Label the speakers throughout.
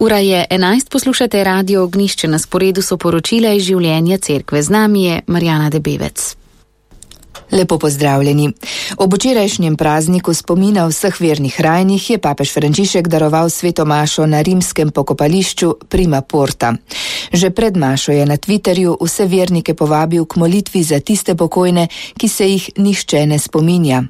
Speaker 1: Ura je 11, poslušate Radio Ognjišče, na sporedu so poročila iz življenja cerkve. Z nami je Marjana Debevec.
Speaker 2: Lepo pozdravljeni. Ob včerajšnjem prazniku spomina vseh vernih rajnih je papež Frančišek daroval sveto mašo na rimskem pokopališču Prima Porta. Že pred mašo je na Twitterju vse vernike povabil k molitvi za tiste pokojne, ki se jih nihče ne spominja.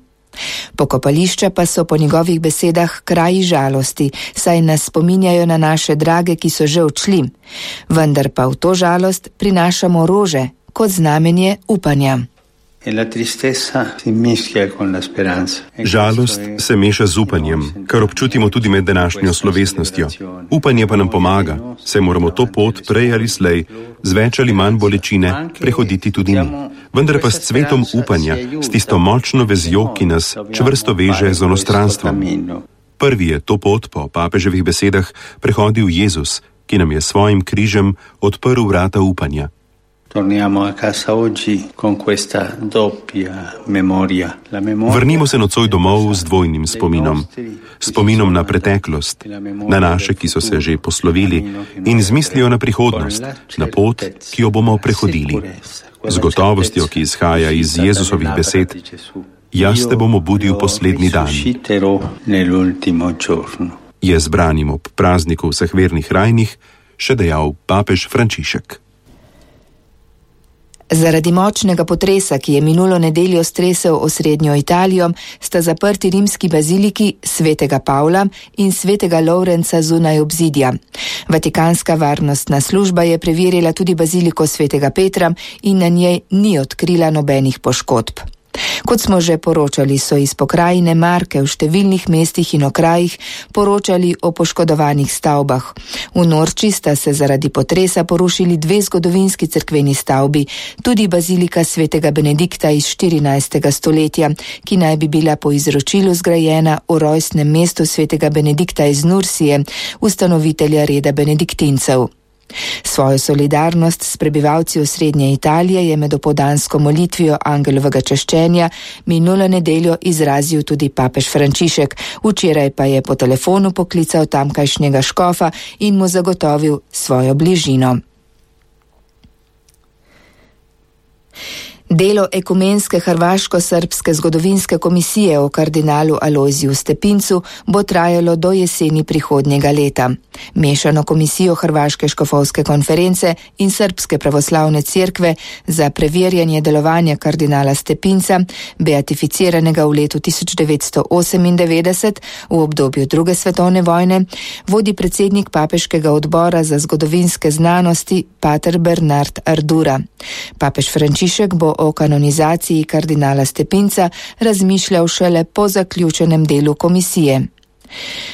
Speaker 2: Pokopališča pa so po njegovih besedah kraji žalosti, saj nas spominjajo na naše drage, ki so že odšli. Vendar pa v to žalost prinašamo rože kot znamenje upanja.
Speaker 3: Žalost se meša z upanjem, kar občutimo tudi med današnjo slovesnostjo. Upanje pa nam pomaga, saj moramo to pot prej ali slej, z več ali manj bolečine, prehoditi tudi mi. Vendar pa s cvetom upanja, s tisto močno vezjo, ki nas čvrsto veže z onostranstvom. Prvi je to pot po papeževih besedah prehodil Jezus, ki nam je svojim križem odprl vrata upanja. Vrnimo se nocoj domov z dvojnim spominom. Spominom na preteklost, na naše, ki so se že poslovili, in z mislijo na prihodnost, na pot, ki jo bomo prehodili. Z gotovostjo, ki izhaja iz Jezusovih besed: jaz te bom obudil poslednji dan. Je zbranim ob prazniku vseh vernih rajnih še dejal papež Frančišek.
Speaker 2: Zaradi močnega potresa, ki je minulo nedeljo stresel osrednjo Italijo, sta zaprti rimski baziliki svetega Pavla in svetega Lovrenca zunaj obzidja. Vatikanska varnostna služba je preverila tudi baziliko svetega Petra in na njej ni odkrila nobenih poškodb. Kot smo že poročali, so iz pokrajine Marke v številnih mestih in okrajih poročali o poškodovanih stavbah. V Norči sta se zaradi potresa porušili 2 zgodovinski cerkveni stavbi, tudi bazilika svetega Benedikta iz 14. stoletja, ki naj bi bila po izročilu zgrajena v rojstnem mestu svetega Benedikta iz Nursije, ustanovitelja reda benediktincev. Svojo solidarnost s prebivalci osrednje Italije je med opoldansko molitvijo angelovega čaščenja minulo nedeljo izrazil tudi papež Frančišek, včeraj pa je po telefonu poklical tamkajšnjega škofa in mu zagotovil svojo bližino. Delo ekumenske hrvaško-srbske zgodovinske komisije o kardinalu Alojziju Stepincu bo trajalo do jeseni prihodnjega leta. Mešano komisijo Hrvaške škofovske konference in Srpske pravoslavne cerkve za preverjanje delovanja kardinala Stepinca, beatificiranega v letu 1998 v obdobju druge svetovne vojne, vodi predsednik papeškega odbora za zgodovinske znanosti pater Bernard Ardura. Papež Frančišek bo o kanonizaciji kardinala Stepinca razmišljal šele po zaključenem delu komisije.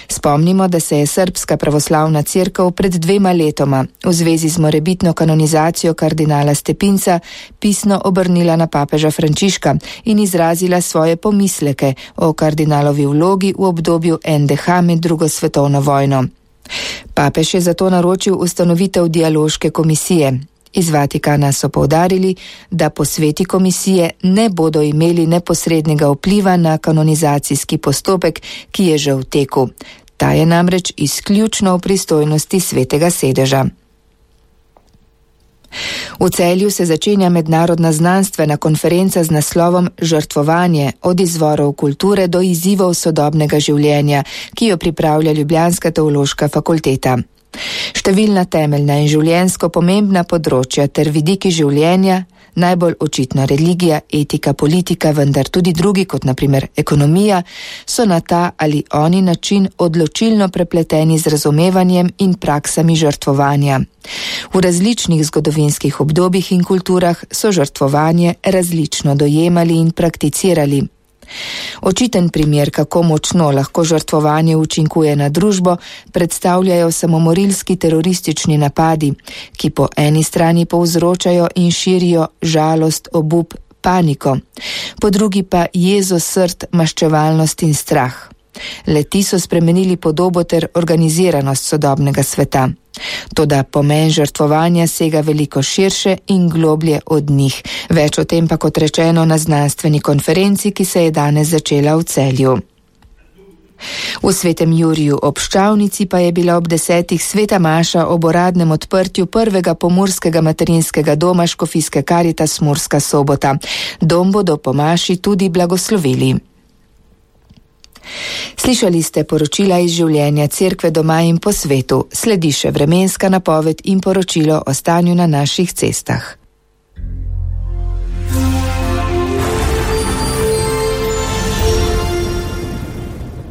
Speaker 2: Spomnimo, da se je Srpska pravoslavna cerkev pred 2 letoma v zvezi z morebitno kanonizacijo kardinala Stepinca pisno obrnila na papeža Frančiška in izrazila svoje pomisleke o kardinalovi vlogi v obdobju NDH med drugo svetovno vojno. Papež je zato naročil ustanovitev dialoške komisije. Iz Vatikana so poudarili, da posveti komisije ne bodo imeli neposrednega vpliva na kanonizacijski postopek, ki je že v teku. Ta je namreč izključno v pristojnosti Svetega sedeža. V Celju se začenja mednarodna znanstvena konferenca z naslovom Žrtvovanje od izvorov kulture do izzivov sodobnega življenja, ki jo pripravlja ljubljanska teološka fakulteta. Številna temeljna in življenjsko pomembna področja ter vidiki življenja, najbolj očitno religija, etika, politika, vendar tudi drugi, kot na primer ekonomija, so na ta ali oni način odločilno prepleteni z razumevanjem in praksami žrtvovanja. V različnih zgodovinskih obdobjih in kulturah so žrtvovanje različno dojemali in prakticirali. Očiten primer, kako močno lahko žrtvovanje učinkuje na družbo, predstavljajo samomorilski teroristični napadi, ki po eni strani povzročajo in širijo žalost, obup, paniko, po drugi pa jezo srd, maščevalnost in strah. Le-ti so spremenili podobo ter organiziranost sodobnega sveta. Toda pomen žrtvovanja sega veliko širše in globlje od njih. Več o tem pa, kot rečeno, na znanstveni konferenci, ki se je danes začela v Celju. V Svetem Juriju ob Ščavnici pa je bila ob 10. sveta maša ob uradnem odprtju prvega pomurskega materinskega doma Škofijske Karitas Murska Sobota. Dom bodo po maši tudi blagoslovili. Slišali ste poročila iz življenja Cerkve doma in po svetu. Sledi še vremenska napoved in poročilo o stanju na naših cestah.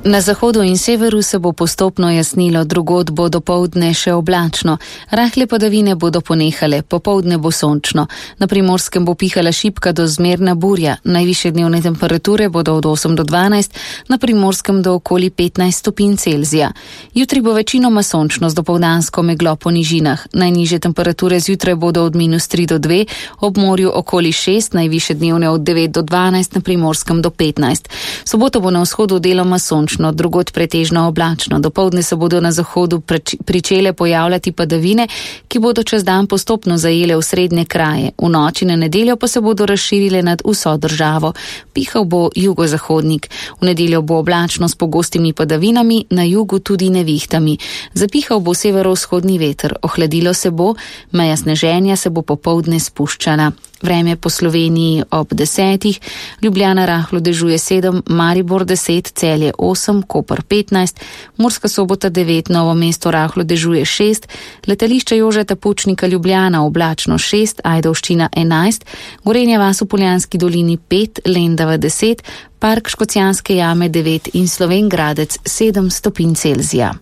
Speaker 1: Na zahodu in severu se bo postopno jasnilo, drugod bo dopoldne še oblačno. Rahle padavine bodo ponehale, popoldne bo sončno. Na Primorskem bo pihala šibka do zmerna burja. Najvišje dnevne temperature bodo od 8 do 12, na Primorskem do okoli 15 stopinj Celzija. Jutri bo večinoma sončno z dopoldansko meglo po nižinah. Najnižje temperature zjutraj bodo od -3 do 2, ob morju okoli 6, najvišje dnevne od 9 do 12, na Primorskem do 15. Soboto bo na vzhodu deloma sončno, drugod pretežno oblačno. Dopoldne se bodo na zahodu pričele pojavljati padavine, ki bodo čez dan postopno zajele v srednje kraje. V noči na nedeljo pa se bodo razširile nad vso državo. Pihal bo jugozahodnik. V nedeljo bo oblačno s pogostimi padavinami, na jugu tudi nevihtami. Zapihal bo severovzhodni veter. Ohladilo se bo, meja sneženja se bo popoldne spuščala. Vreme po Sloveniji ob 10, Ljubljana rahlo dežuje 7, Maribor 10, Celje 8, Koper 15, Murska Sobota 9, Novo mesto rahlo dežuje 6, letališče Jožeta Pučnika Ljubljana oblačno 6, Ajdovščina 11, Gorenja vas v Poljanski dolini 5, Lendava 10, Park Škocjanske jame 9 in Slovenj Gradec 7 stopinj Celzija.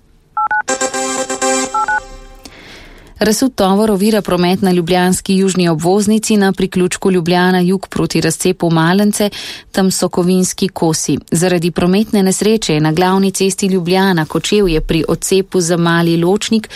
Speaker 1: Razsut tovor ovira promet na ljubljanski južni obvoznici na priključku Ljubljana jug proti razcepu Malence, tam so kovinski kosi. Zaradi prometne nesreče je na glavni cesti Ljubljana Kočevje pri odcepu za Mali Ločnik